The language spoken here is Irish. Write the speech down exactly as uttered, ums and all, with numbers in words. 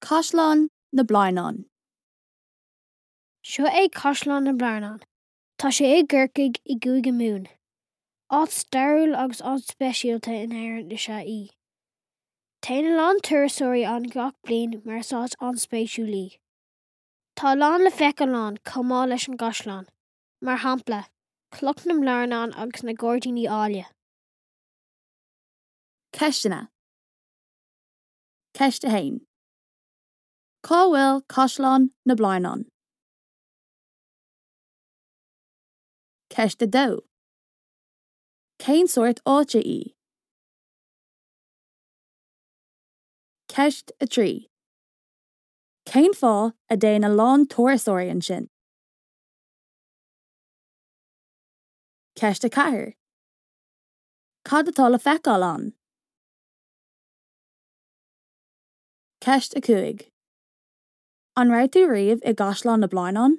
Caisleán na Blarnán. Seo é Caisleán na mBlarnán. Tá sé i gCorcaigh i gCúige Mumhan. Áit stairiúil agus áit speisialta in Éirinn is ea í. Téann a lán turasóirí ann gach bliain mar is áit an-spéisiúil í. Tá a lán le feiceáil ann chomh maith leis an gcaisleán, mar shampla, Cloch na mBlarnán agus na gairdíní áille. Ceisteanna. Ceist a haon. Cá bhfuil Caisleán na Blarnán? Ceist a dó. Cén sórt áite í? Ceist a trí. Cén fáth a dtéann a lán turasóirí ansin? Ceist a ceathair. Cad atá le feiceáil ann? Ceist a cúig. An raibh tú riamh i gCaisleán na Blarnán?